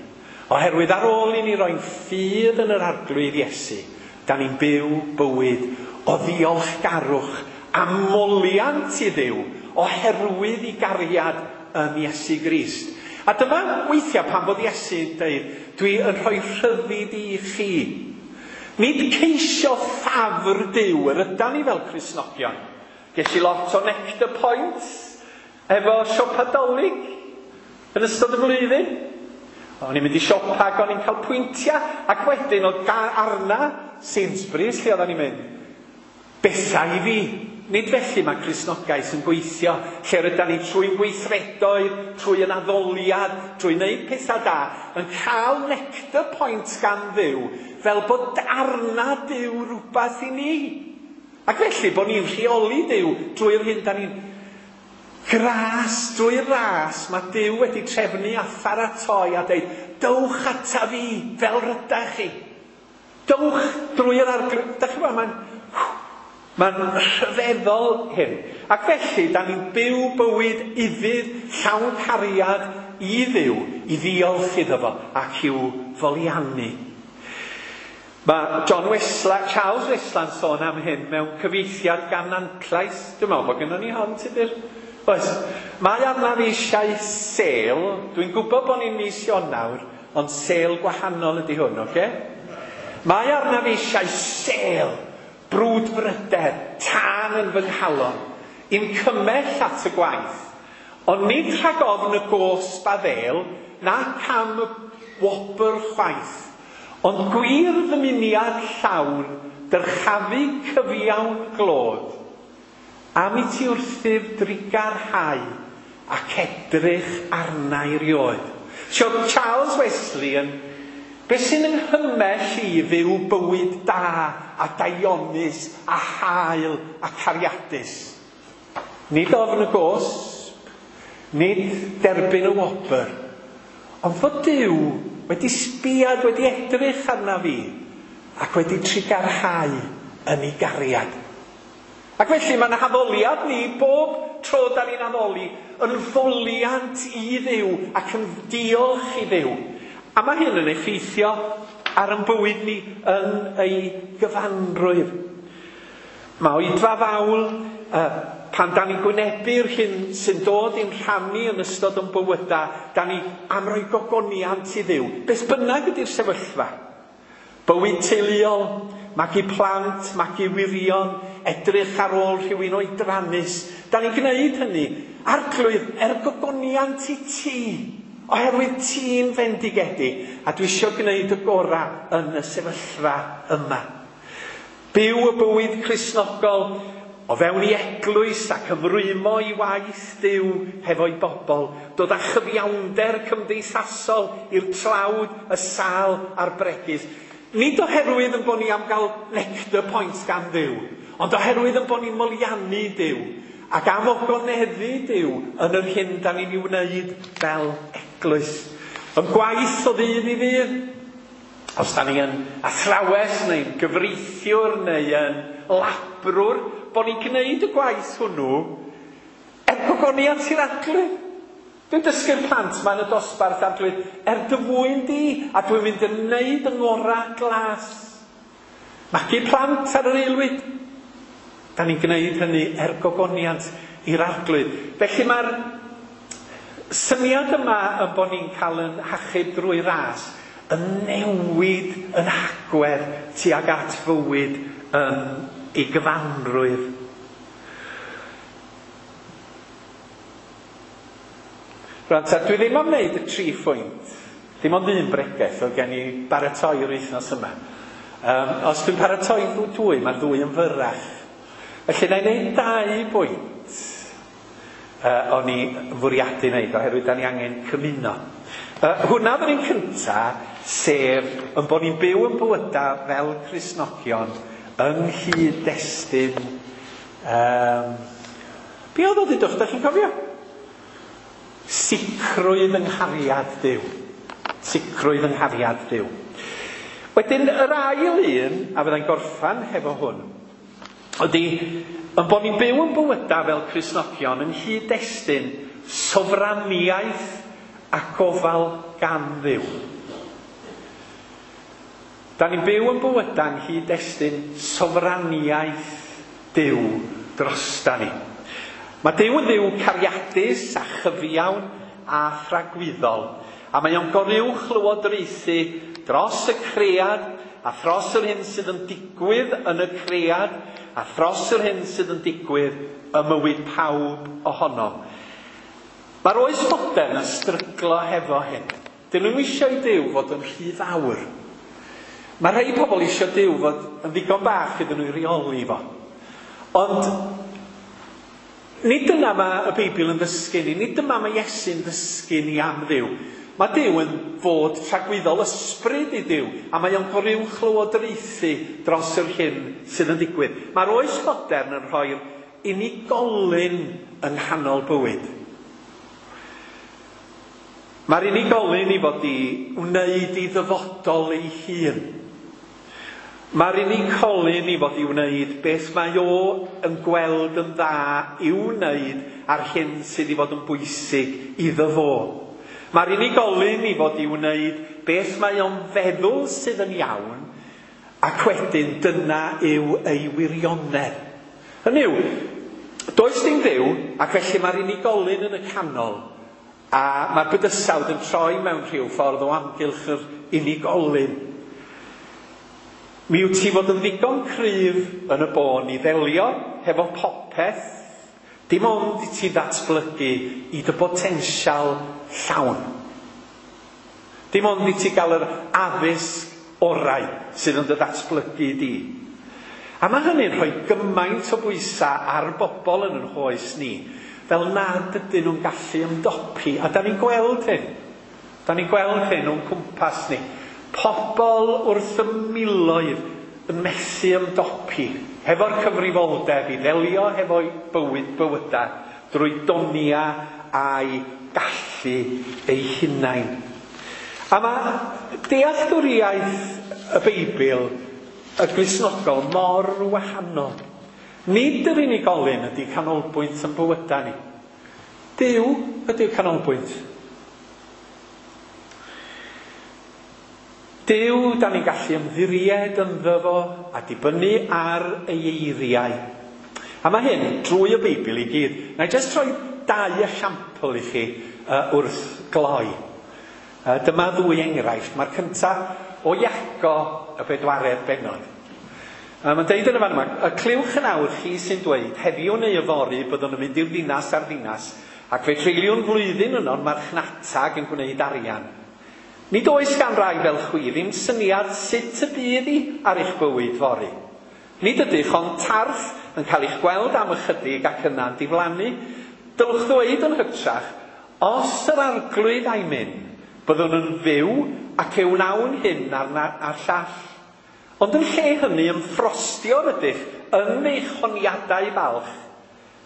Oherwydd ar ôl i ni roi'n ffydd yn yr Arglwydd Iesu, da ni'n byw bywyd o ddiolchgarwch a moliant i Dduw oherwydd i gariad yn Iesu Grist. A dyma weithiau pan bod Iesu'n dweud, dwi yn rhoi rhyddid i chi. Nid ceisio ffafr Duw yr ydan ni fel Cristnogion. Ges i lot o nectar points efo siopa Dolig yn ystod y flwyddyn. O'n i'n mynd i siopa ac o'n i'n cael pwyntiau, ac wedyn oedd arna Sainsbury's lle oedden ni'n mynd. Bethau i fi. Nid felly mae Cristnogaeth yn gweithio, lle rydyn ni trwy gweithredoedd, trwy yn addoliad, trwy wneud pethau da, yn cael nectar point gan Dduw, fel bod arna Duw rhywbeth i ni. Ac felly bod ni'n rheoli Duw drwy'r hyn da ni'n gras, drwy'r ras, mae Duw wedi trefnu a pharatoi a dweud, dowch ata fi fel rydach chi. Dowch drwy'r Arglwydd. Da chi'n gwybod, mae'n rhyfeddol hyn. Ac felly, da ni'n byw bywyd ufudd, llawn cariad i Dduw, i ddiolch iddo fo ac i'w foliannu. Mae John Wesley, Charles Wesley'n sôn am hyn mewn cyfieithiad gan Nantlais. Dwi'n meddwl bod gynnon ni hon, Tudur. Oes. Mae arnaf eisiau sêl. Dwi'n gwybod bod ni'n mis Ionawr, ond sêl gwahanol ydy hwn, oce? Mae arnaf eisiau sêl, brwdfrydedd, tân yn fy nghalon, i'm cymell at y gwaith. Ond nid rhag ofn y gosb a ddêl, na cam y wobr chwaith, ond gwir ddymuniad llawn, dyrchafu cyfiawn glod, am i ti wrthyf drugarhau ac edrych arna i rioed. So Charles Wesley yn, beth sy'n ynghymell i fyw bywyd da a daionus a hael a cariadus? Nid ofn y gosb, nid derbyn y wobr, ond fod Duw wedi sbiad, wedi edrych arna fi ac wedi trugarhau yn ei gariad. Ac felly mae'n haddoliad ni bob tro da ni'n addoli yn foliant i Dduw ac yn diolch i Dduw. A mae hyn yn effeithio ar ein bywyd ni yn ei gyfanrwydd. Mae oedfa fawl, pan da ni'n gwynebu'r hyn sy'n dod i'n rhannu yn ystod yn bywydau, da ni am roi gogoniant i Dduw. Beth bynnag ydy'r sefyllfa. Bywyd teuluol, magu plant, magu wyrion, edrych ar ôl rhywun oedrannus. Da ni'n gwneud hynny. Arglwydd, er gogoniant i ti, oherwydd ti'n fendigedig, a dwi eisiau gwneud y gorau yn y sefyllfa yma. Byw y bywyd Cristnogol o fewn i eglwys ac ymrwymo i waith Duw hefo'i bobl, dod â chyfiawnder cymdeithasol i'r tlawd, y sâl a'r bregus. Nid oherwydd yn bod ni am gael nectar points gan Dduw, ond oherwydd yn bod ni'n moliannu Duw ac am ogoneddu Duw yn yr hyn da ni'n ei wneud fel eglwys. Yn gwaith o ddydd i ddydd, os da ni yn athrawes neu'n gyfreithiwr neu yn labrwr, bod ni'n gwneud y gwaith hwnnw er gogoniant i'r Arglwydd. Dwi'n dysgu'r plant 'ma yn y dosbarth, Arglwydd, er dy fwyn di, a dwi'n mynd yn wneud yng ngorau glas. Magu plant ar yr aelwyd. Da ni'n gwneud hynny er gogoniant i'r Arglwydd. Felly mae'r syniad yma yn bod ni'n cael yn hachub drwy ras yn newid yn hagwedd tuag at fywyd yn ei gyfanrwydd. Rwan ta, dwi ddim am wneud y 3 phwynt. Dim ond un bregeth oedd gen i baratoi yr wythnos yma. Os dwi'n paratoi dwy, mae'r ddwy yn fyrrach. Felly na i wneud 2 bwynt o'n i fwriadu wneud, oherwydd da ni angen cymuno. Hwnna oedd yr un cynta, sef yn bod ni'n byw yn bywyda fel Cristnogion yng nghyd-destun. Be oedd o ddudwch, da chi'n cofio? Sicrwydd yng nghariad Duw. Sicrwydd yng nghariad Duw. Wedyn, yr ail un, a fyddai'n gorffan hefo hwn, ydy yn bod ni'n byw yn bywyda fel Cristnogion yng nghyd-destun sofraniaeth a gofal gan Dduw. Da ni'n byw yn bywyda yng nghyd-destun sofraniaeth Duw drosta ni. Mae Duw yn Dduw cariadus a chyfiawn a thragwyddol, a mae o'n goruwch lywodraethu dros y cread a thros yr hyn sydd yn digwydd yn y cread a thros yr hyn sydd yn digwydd ym mywyd pawb ohonom. Mae'r oes fodern yn stryglo hefo hyn. Dyn nhw'n eisiau i Duw fod yn rhy fawr. Mae rhai pobl eisiau Duw fod yn ddigon bach iddyn nhw i reoli fo. Ond nid dyna mae y Beibl yn ddysgu ni, nid dyma mae Iesu'n ddysgu ni am Dduw. Mae Duw yn fod tragwyddol, ysbryd i Duw, a mae o'n goruwch lywodraethu dros yr hyn sydd yn digwydd. Mae'r oes fodern yn rhoi'r unigolyn yng nghanol bywyd. Mae'r unigolyn i fod i wneud i ddyfodol ei hun. Mae'r unigolyn i fod i wneud beth mae o yn gweld yn dda i'w wneud a'r hyn sydd i fod yn bwysig iddo fo. Mae'r unigolyn i fod i wneud beth mae o'n feddwl sydd yn iawn, ac wedyn dyna yw ei wirionedd. Hynny yw, does dim Dduw, ac felly mae'r unigolyn yn y canol, a mae'r bydysawd yn troi mewn rhyw ffordd o amgylch yr unigolyn. Mi wyt ti fod yn ddigon cryf yn y bôn i ddelio hefo popeth, dim ond i ti ddatblygu i dy botensial llawn. Dim ond i ti gael yr addysg orau sydd yn dy ddatblygu di. A mae hynny'n rhoi gymaint o bwysau ar bobl yn ein hoes ni, fel nad ydyn nhw'n gallu ymdopi. A da ni'n gweld hyn. Da ni'n gweld hyn o'n cwmpas ni. Pobl wrth y miloedd yn methu ymdopi hefo'r cyfrifoldeb i ddelio hefo'i bywyd bywydau drwy donia a'i gallu ei hunain. A mae dealltwriaeth y Beibl y Gristnogol mor wahanol. Nid yr unigolyn ydy canolbwynt yn bywydau ni. Duw ydy'r canolbwynt. Duw, da ni'n gallu ymddiried ynddo fo a dibynnu ar ei eiriau. A mae hyn drwy y Beibl i gyd. Na i jyst rhoi 2 esiampl i chi wrth gloi. Dyma ddwy enghraifft. Mae'r cyntaf o Iago y 4 bennod. Mae'n deud yn y fan yma, y clywch yn awr chi sy'n dweud, heddiw neu yfory byddwn yn mynd i'r ddinas a'r ddinas, ac fe treuliwn flwyddyn yno'n marchnatag yn gwneud arian. Nid oes gan rai fel chwi ddim syniad sut y bydd i ar eich bywyd fory. Nid ydych ond tarth yn cael eich gweld am ychydig ac yna'n diflannu. Dylwch ddweud yn hytrach, os yr Arglwydd a'i mynd, byddwn yn fyw ac e wnawn hyn a'r llall. Ond yn lle hynny ymffrostio rydych yn eich honiadau balch.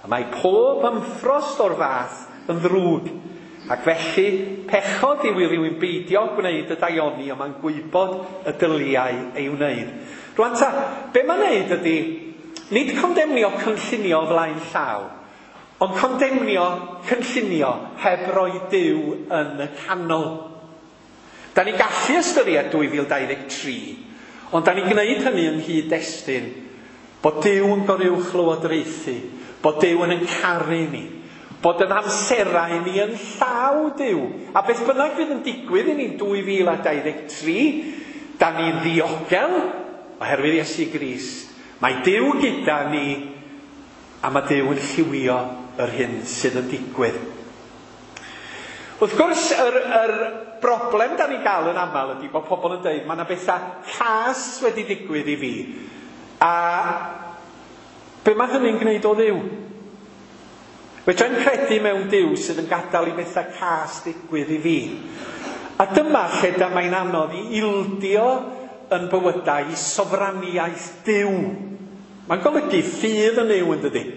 A mae pob ymffrost o'r fath yn ddrwg. Ac felly, pechod yw i rywun beidio gwneud y daioni, ond mae'n gwybod y dyliau ei wneud. Rwan ta, be mae'n wneud ydy, nid condemnio cynllunio flaen llaw, Ond condemnio, cynllunio, heb roi Duw yn y canol. Da ni gallu ystyried 2023, ond da ni'n gwneud hynny yng nghyd-destun bod Duw yn goruwch lywodraethu, bod Duw yn caru ni, bod yn amserau ni yn llaw Duw. A beth bynnag fydd yn digwydd i ni 2023, da ni'n ddiogel oherwydd Iesu Grist. Mae Duw gyda ni a mae Duw yn lliwio yr hyn sydd yn digwydd. Wrth gwrs, yr broblem da ni'n gael yn aml ydy bod pobl yn dweud mae yna bethau cas wedi digwydd i fi. A be mae hynny'n gwneud o Dduw? Fedrai'm credu mewn Duw sydd yn gadael i bethau cas digwydd i fi. A dyma lle da mae'n anodd i ildio yn bywydau i sofraniaeth Duw. Mae'n golygu ffydd yn Nuw, yn dydi?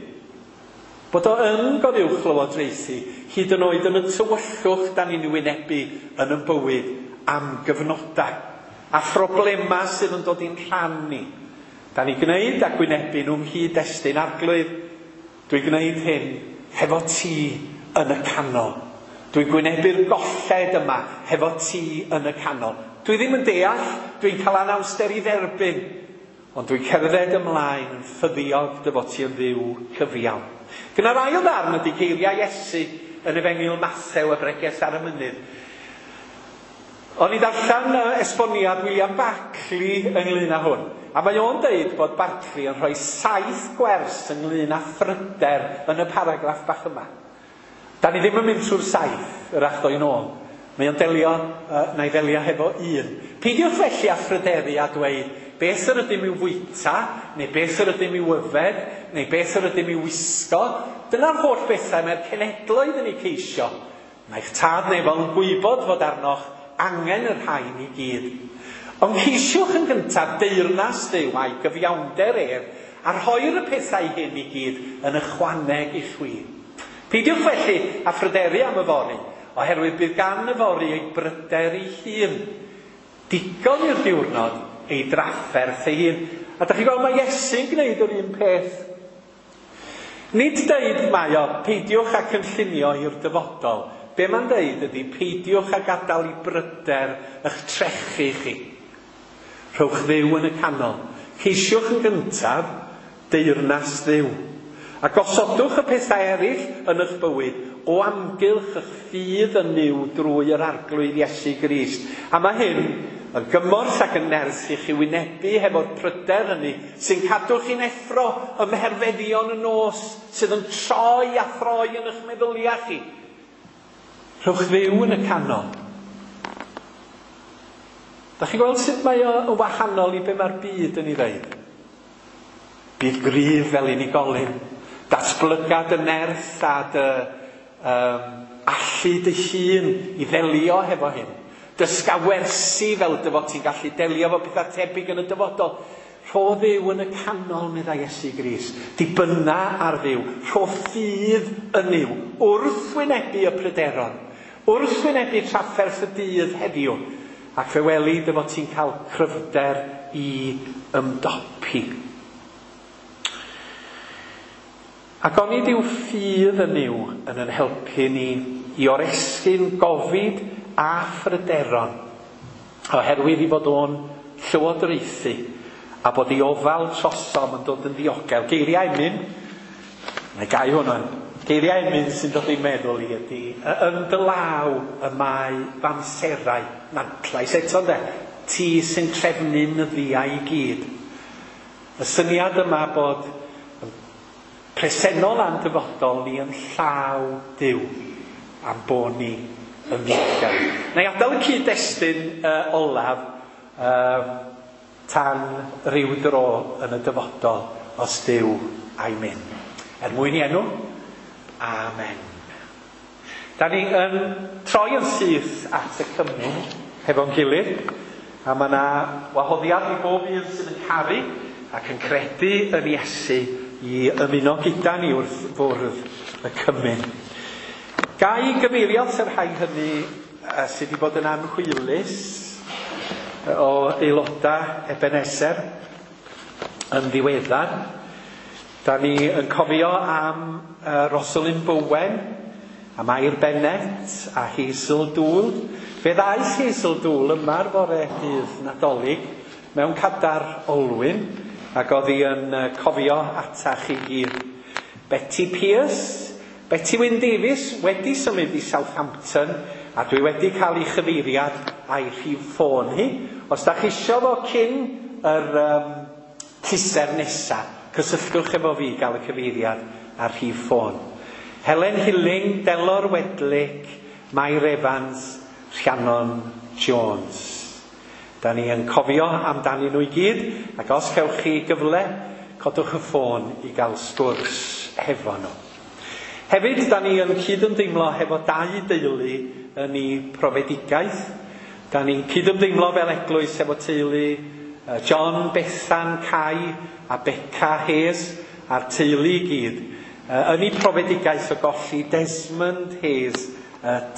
Bod o yn goruwch lywodraethu, hyd yn oed yn y tywyllwch da ni'n wynebu yn ein bywyd am gyfnodau. A phroblemau sydd yn dod i'n rhan ni. Da ni'n gwneud a gwynebu nhw'n nghyd-destun Arglwydd. Dwi'n gwneud hyn hefo ti yn y canol. Dwi'n gwynebu'r golled yma hefo ti yn y canol. Dwi ddim yn deall, dwi'n cael anawster i dderbyn, ond dwi'n cerdded ymlaen yn ffyddiog dy fod ti yn Dduw cyfiawn. Gyda'r ail ddarn ydy geiriau Iesu yn Efengyl Mathew y Bregeth ar y Mynydd. O'n i ddarllen esboniad William Barclay ynglyn â hwn. A mae o'n deud bod Barclay yn rhoi 7 gwers ynglyn â phryder yn y paragraff bach yma. Da ni ddim yn mynd trwy'r 7, yr achdo i'n ôl. Mae o'n delio, na i ddelio hefo un. Peidiwch felly â phryderu a dweud beth yr ydym i'w fwyta, neu beth yr ydym i'w yfed, neu beth yr ydym i'w wisgo. Dyna'r holl bethau mae'r cenhedloedd yn eu ceisio. Mae'ch tad nefol yn gwybod fod arnoch angen y rhain i gyd. Ond ceisiwch yn gyntaf deyrnas Dduw a'i gyfiawnder ef, a rhoi'r y pethau hyn i gyd yn ychwaneg i chwi. Peidiwch felly â phryderu am yfory, oherwydd bydd gan yfory ei bryder ei hun. Digon i'r diwrnod ei drafferth ei hun. A dach chi'n gweld mae Iesu'n gwneud yr un peth. Nid deud mae o, peidiwch â cynllunio i'r dyfodol. Be mae'n deud ydy peidiwch â gadael i bryder eich trechu chi. Rhowch Dduw yn y canol. Ceisiwch yn gyntaf deyrnas Dduw. A gosodwch y pethau eraill yn eich bywyd o amgylch eich ffydd yn Nuw drwy yr Arglwydd Iesu Grist. A mae hyn yn gymorth ac yn nerth i chi wynebu hefo'r pryder hynny sy'n cadw chi'n effro ym mherfeddion y nos, sydd yn troi a throi yn eich meddyliau chi. Rhowch Dduw yn y canol. Da chi'n gweld sut mae o yn wahanol i be mae'r byd yn ei ddeud? Bydd gryf fel unigolyn, datblyga dy nerth a dy allu dy hun i ddelio hefo hyn. Dysga wersi fel dy fod ti'n gallu delio efo pethau tebyg yn y dyfodol. Rho Dduw yn y canol, meddai Iesu Grist. Dibynna ar Dduw. Rho ffydd yn Nuw. Wrth wynebu y pryderon. Wrth wynebu trafferth y dydd heddiw. Ac fe weli dy fod ti'n cael cryfder i ymdopi. Ac onid yw ffydd yn Nuw yn yn helpu ni i oresgyn gofid a phryderon, oherwydd i fod o'n llywodraethu a bod ei ofal trosom yn dod yn ddiogel. Geiriau emyn, mae gau hwn o'n, geiriau emyn sy'n dod i'n meddwl i ydy, yn dy law y mae f'amserau, nantlais eto ynde, ti sy'n trefnu nyddiau i gyd. Y syniad yma bod presennol a'n dyfodol ni yn llaw Duw am bod ni yn ddiogel. Na i adael y cyd-destun olaf tan ryw dro yn y dyfodol os Duw a'i mynd. Er mwyn i enw, amen. Da ni yn troi yn syth at y cymun hefo'n gilydd, a mae yna wahoddiad i bob un sydd yn caru ac yn credu yn Iesu i ymuno gyda ni wrth fwrdd y cymun. Ga i gyfeirio at y rhai hynny sydd wedi bod yn anhwylus o aelodau Ebenezer yn ddiweddar. Da ni yn cofio am Rosalind Bowen, a Mair Bennett a Hazel Dŵl. Fe ddaeth Hazel Dŵl yma'r fore dydd Nadolig mewn cadar olwyn ac oedd hi yn cofio atach i gyd. Betty Pierce, Betty Wyn Davies wedi symud i Southampton a dwi wedi cael ei chyfeiriad a'i rhif ffôn hi. Os da chi isio fo cyn yr llyser nesa, cysylltwch efo fi gael y cyfeiriad a'r rhif ffôn. Helen Hilling, Delor Wedlick, Mair Evans, Rhiannon Jones. Da ni yn cofio amdanyn nhw i gyd, ac os cewch chi gyfle, codwch y ffôn i gael sgwrs hefo nhw. Hefyd, da ni yn cydymdeimlo hefo dau deulu yn ei profedigaeth. Da ni'n cydymdeimlo fel eglwys hefo teulu John, Bethan, Kai a Beca Hayes a'r teulu i gyd. Yn ei profedigaeth o golli Desmond Hayes,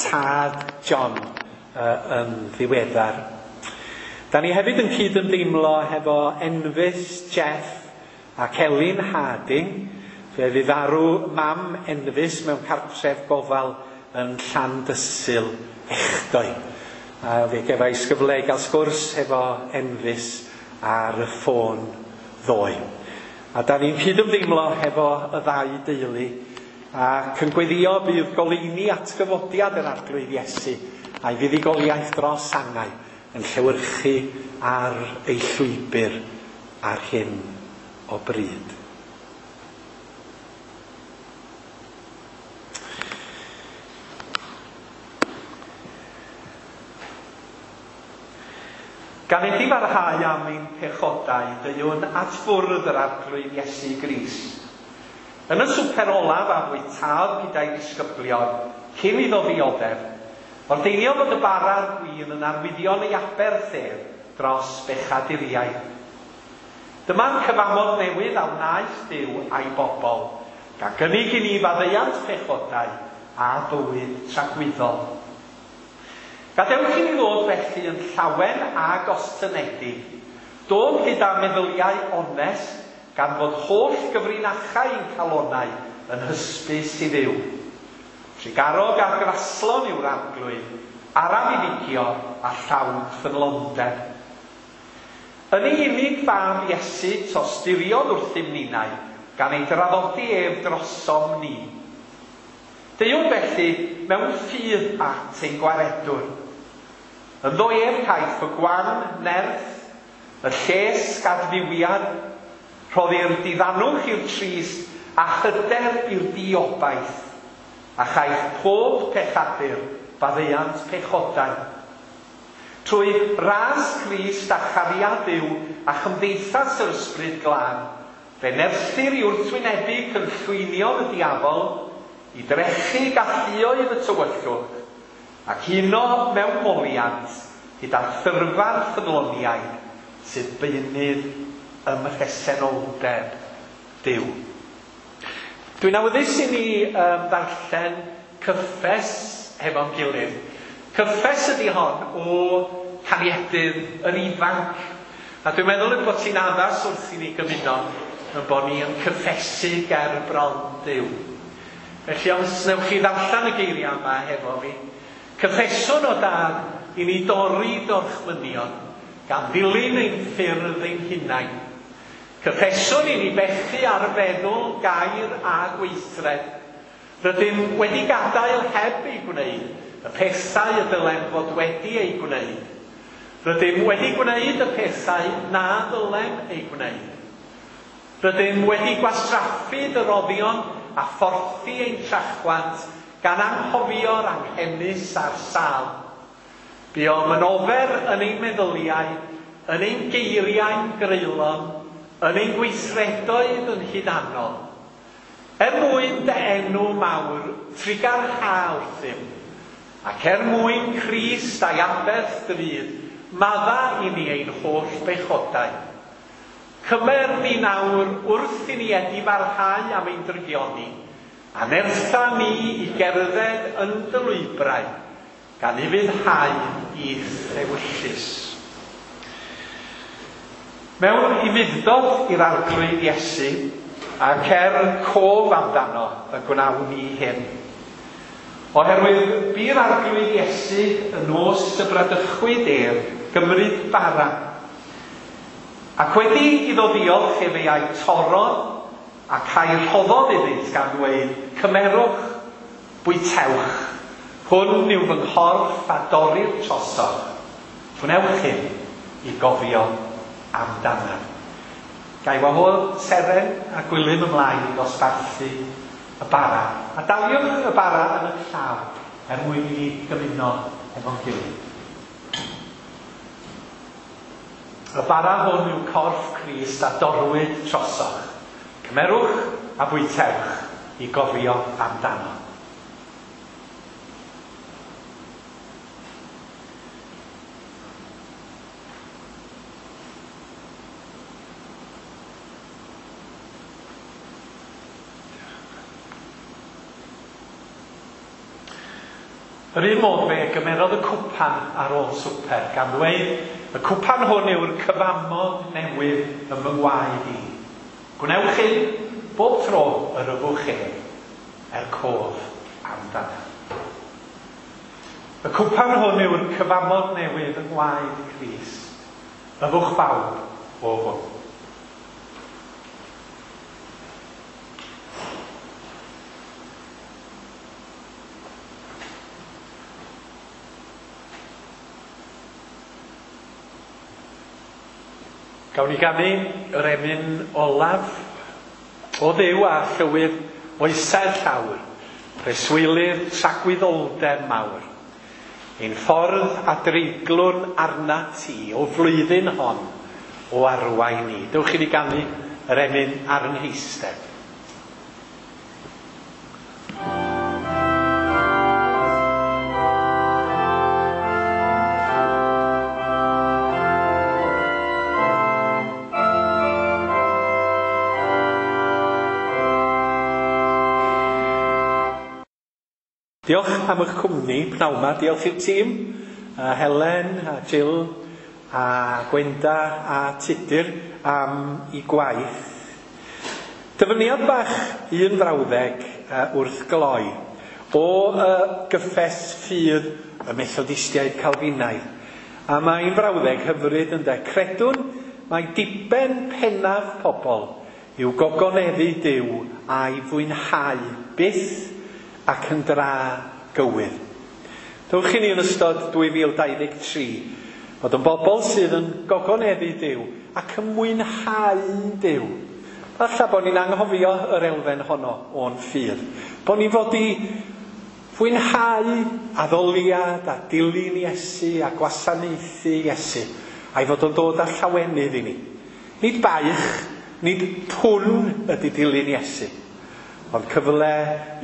tad John, yn ddiweddar. Da ni hefyd yn cydymdeimlo hefo Enfys, Jeff a Celyn Harding. Fe fydd farw mam Enfys mewn cartref gofal yn Llandysul echdoi. A fe gefais gyfle i gael sgwrs hefo Enfys ar y ffôn ddoe. A da ni'n cydymdeimlo hefo y ddau deulu ac yn gweddio bydd goleuni atgyfodiad yr Arglwydd Iesu a'i fuddugoliaeth dros angau yn llewyrchu ar ei llwybr ar hyn o bryd. Gan iddi farhau am ein pechodau, deuwn at fwrdd yr Arglwydd Iesu Grist. Yn y swper olaf a fwytaodd gyda'i ddisgyblion, cyn iddo ddioddef, ordeiniodd fod y bara a'r gwin yn arwyddion ei aberth ef dros bechaduriaid. Dyma'r cyfamod newydd a wnaeth Duw a'i bobl, gan gynnig i ni faddeuant pechodau a bywyd tragwyddol. Gadewch i ni ddod felly yn llawen a gostynedig, dod gyda meddyliau onest, gan fod holl gyfrinachau ein calonau yn hysbys i Dduw. Trugarog a graslon yw'r Arglwydd, araf i ddigio a llawn ffyddlondeb. Yn ei unig fab Iesu tosturiodd wrthym ninnau, gan ei draddodi ef drosom ni. Deuwn felly mewn ffydd at ein gwaredwr. Ynddo ef caiff y gwan nerth, y lles gadfywiad, rhoddir diddanwch i'r trist a hyder i'r diobaith, a chaiff pob pechadur faddeuant pechodau. Trwy ras Crist a chariad Duw a chymdeithas yr Ysbryd Glân, fe nerthir i wrthwynebu cynllwynion y diafol, i drechu galluoedd y tywyllwch, ac uno mewn moliant gyda thyrfa'r ffyddloniaid sydd beunydd ym mhresenoldeb Duw. Dwi'n awyddus i ni ddarllen cyffes hefo'n gilydd. Cyffes ydy hon o Cariedydd yr Ifanc. A dwi'n meddwl y bod ti'n addas wrth i ni gymuno yn bod ni yn cyffesu ger bron Duw. Felly os newch chi ddarllen y geiriau yma hefo fi, cyffeswn o Dad i ni dorri dorchmynion, gan ddilyn ein ffyrdd ein hunain. Cyffeswn i ni bechu ar feddwl, gair a gweithred. Rydym wedi gadael heb ei gwneud y pethau y dylem fod wedi ei gwneud. Rydym wedi gwneud y pethau na ddylem ei gwneud. Rydym wedi gwastraffu dyroddion a phorthi ein trachwant gan anghofio'r anghenus a'r sâl. Buom yn ofer yn ein meddyliau, yn ein geiriau'n greulon, yn ein gweithredoedd yn hunanol. Er mwyn dy enw mawr, trugarha wrthym, ac er mwyn Crist a'i aberth drud, madda i ni ein holl bechodau. Cymer ni nawr wrth i ni edifarhau am ein drygioni, a nertha ni i gerdded yn dy lwybrau, gan ufuddhau i'th ewyllys. Mewn ufudd-dod i'r Arglwydd Iesu, Ac er cof amdano y gwnawn ni hyn. Oherwydd bu'r Arglwydd Iesu y nos y bradychwyd ef gymryd bara. Ac wedi iddo ddiolch efe a'i torrodd ac a'i rhoddodd iddynt gan ddweud, Cymerwch, bwytewch, hwn yw fy nghorff a dorrir trosoch. Gwnewch hyn i gofio amdanaf. Ga i wahodd Seren a Gwilym ymlaen i ddosbarthu y bara. A daliwch y bara yn eich llaw er mwyn i ni gymuno efo'n gilydd. Y bara hwn yw corff Crist a dorrwyd trosoch. Cymerwch a bwytewch i gofio amdano. Yr un modd fe gymerodd y cwpan ar ôl swper, gan ddweud, y cwpan hwn yw'r cyfamod newydd ym fy ngwaed i. Gwnewch hyn bob tro yr yfwch ef, er cof amdanaf. Y cwpan hwn yw'r cyfamod newydd yng ngwaed Crist. Yfwch bawb o hwn. Gawn ni ganu yr emyn olaf o Dduw a llywydd oesau'r llawr, preswylydd tragwyddoldeb mawr. Ein ffordd a dreiglwn arnat ti o flwyddyn hon o arwain ni. Dewch i ni ganu yr emyn ar yng ngheistedd. Diolch am eich cwmni pnawn 'ma. Diolch i'r tîm, Helen a Jill a Gwenda a Tudur am i gwaith. Dyfyniad bach un frawddeg wrth gloi o gyffes ffydd y Methodistiaid Calfinaidd. A mae'n frawddeg hyfryd ynde. Credwn mai diben pennaf pobl yw gogoneddu Duw a'i fwynhau byth ac yn dra gywir. Dewch i ni yn ystod 2023 fod yn bobl sydd yn gogoneddu Duw ac yn mwynhau Duw. Falle bod ni'n anghofio yr elfen honno o'n ffydd. Bod ni fod i fwynhau addoliad a dilyn Iesu a gwasanaethu Iesu, a'i fod o'n dod â llawenydd i ni. Nid baich, nid pwn ydy dilyn Iesu, ond cyfle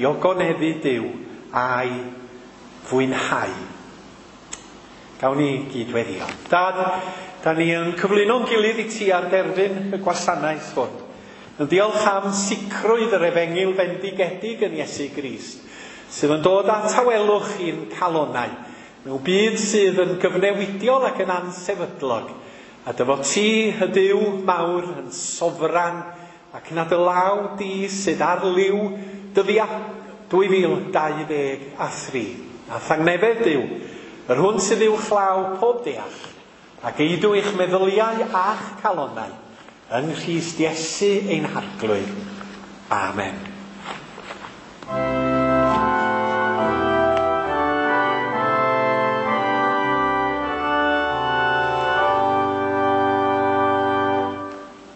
i ogoneddu Duw a'i fwynhau. Gawn ni gyd weddio. Dad, da ni yn cyflwyno'n gilydd i ti ar derfyn y gwasanaeth hwn. Yn diolch am sicrwydd yr efengyl fendigedig yn Iesu Grist, sydd yn dod â tawelwch i'n calonnau, mewn byd sydd yn gyfnewidiol ac yn ansefydlog, a dy fod ti, y Duw mawr, yn sofran, ac na dy law di sydd ar liw dyddia 2023. A thangnefedd Duw, yr hwn sydd uwchlaw pob deall, ac eidw eich meddyliau a'ch calonnau, yng Nghrist Iesu ein Harglwydd. Amen.